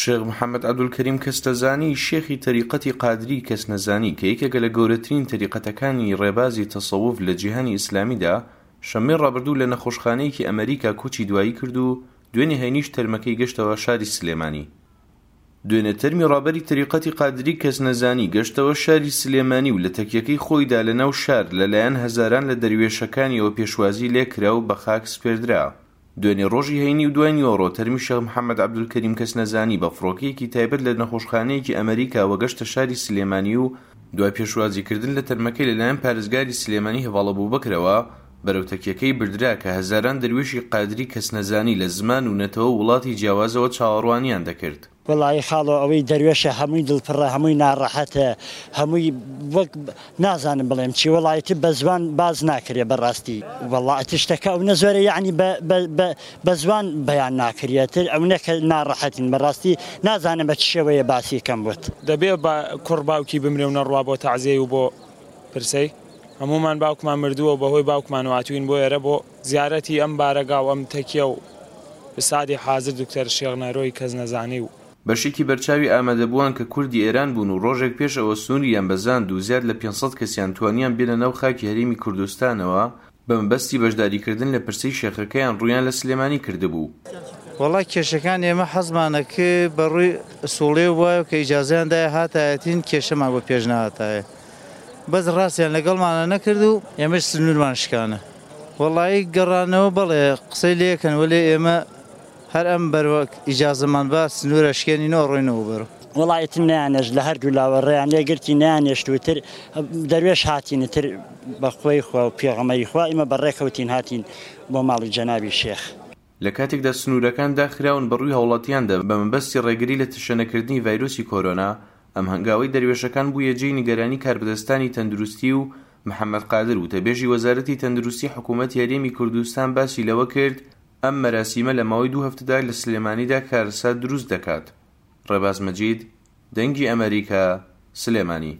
شێخ محەمەد عەبدولکەریم کەسنەزانی، شێخی تەریقەتی قادری کەسنەزانی کە یەکێکە لە گەورەترین تەریقەتەکانی ڕێبازی تەسەوف لە جیهانی ئیسلامیدا، شەممەی ڕابردوو لە نەخۆشخانەیەکی ئەمەریکا کۆچی دوایی کرد و دوێنێ هەینیش تەرمەکەی گەشتەوە شاری سلێمانی. دوێنێ تەرمی ڕابەری تەریقەتی قادری کەسنەزانی گەشتەوە شاری سلێمانی و لە تەکیەکەی خۆیدا لە ناو شار لە لایەن هەزاران لە دەروێشەکانیەوە پێشوازی لێکرا و بە خاک سپێردرا. دوێنێ ڕۆژی هەینی و دوای نیوەڕۆ تەرمی شێخ محەمەد عەبدولکەریم کەسنەزانی بە فڕۆکەیەکی تایبەت لە نەخۆشخانەیەکی ئەمەریکاوە گەشتە شاری سلێمانی و دوای پێشوازیکردن لە تەرمەکەی لەلایەن پارێزگاری سلێمانی هەڤاڵ ئەبوبەکرەوە بەرەو تەکیەکەی بردرا کە هەزاران دەروێشی قادری کەسنەزانی لە زمان و نەتەوە و وڵاتی جیاوازەوە چاوەڕوانیان دەکرد. وەڵایی خاڵۆ ئەوەی دەروێشە هەمووی دڵپڕە هەمووی ناڕەحەتە هەمووی وەک نازانم بڵێم چی وەڵا ئیتر بە زوان باس ناکرێ بەڕاستی وەڵا ئیتر شتەکە ئەونە زۆرە یەعنی بە بە بە بە زوان بەیان ناکریە تر ئەونە کە ناڕەحەتین بەڕاستی نازانم بە چ شێوەیە باسی کەم بۆت. دەبێ با کوڕ باوکی بمرێ و نەڕوا بۆ تەعزیەی و بۆ پرسەی؟ هەموومان باوکمان مردووە و بەهۆی باوکمانەوە هاتووین بۆ ئێرە بۆ زیارەتی ئەم بارەگا و ئەم تەکیە و بسادی حازر دکتەر شێخ نەرۆی کەس نەزانی و. بەشێکی بەرچاوی ئامادەبووان کە کوردی ئێران بوون و ڕۆژێک پێش ئەوە سنووریان بەزاند و زیاد لە 500 کەسیان توانیان بێنە ناو خاکی هەرێمی کوردستانەوە بە مەبەستی بەشداریکردن لە پرسەی شێخەکەیان ڕوویان لە سلێمانی کردبوو. وەڵا کێشەکان ئێمە حەزمانە ک بە ڕووی ئسوڵێو بوایە و کە ئیجازەیان دایە هاتایەتین کێشەمان بۆ پێش نەهاتایە بەس ڕاستیان لەگەڵمانە نەکرد و ئێمەش سنوورمان شکانە. وەڵایی گەڕانەوە بەڵێ قسەی لێکەن وەلێ ئێمە هەر ئەم بەروە ئیجازەمان با سنوور ئەشکێنینەوە ڕۆینەوە بەرەو. وەڵا ئیتر نەیانێشت لە هەردوو لاوە ڕێیان لێ گرتین نەیانێشت و ئیتر دەروێش هاتین ئیتر بە خۆی خوا و پێغەمبەری خوا ئیمە بە ڕێکەوتین هاتین بۆ ماڵی جەنابی شێخ. لە کاتێکدا سنوورەکان داخراون بە ڕووی هاوڵاتیاندا بە مەبەستی ڕێگری لە تەشەنەکردنی ڤایرۆسی کۆرۆنا، ئەم هەنگاوەی دەروێشەکان بوویە جێی نیگەرانی کاربەدەستانی تەندروستی و محەمەد قادر وتەبێژی وەزارەتی تەندروستی حکوومەتی هەرێمی کوردستان باسی لەوە کرد، ئەم مەراسیمە لە ماوەی دوو هەفتەدا لە سلێمانیدا کارەسات دروست دەکات. ڕێباز مەجید، دەنگی ئەمەریکا، سلێمانی.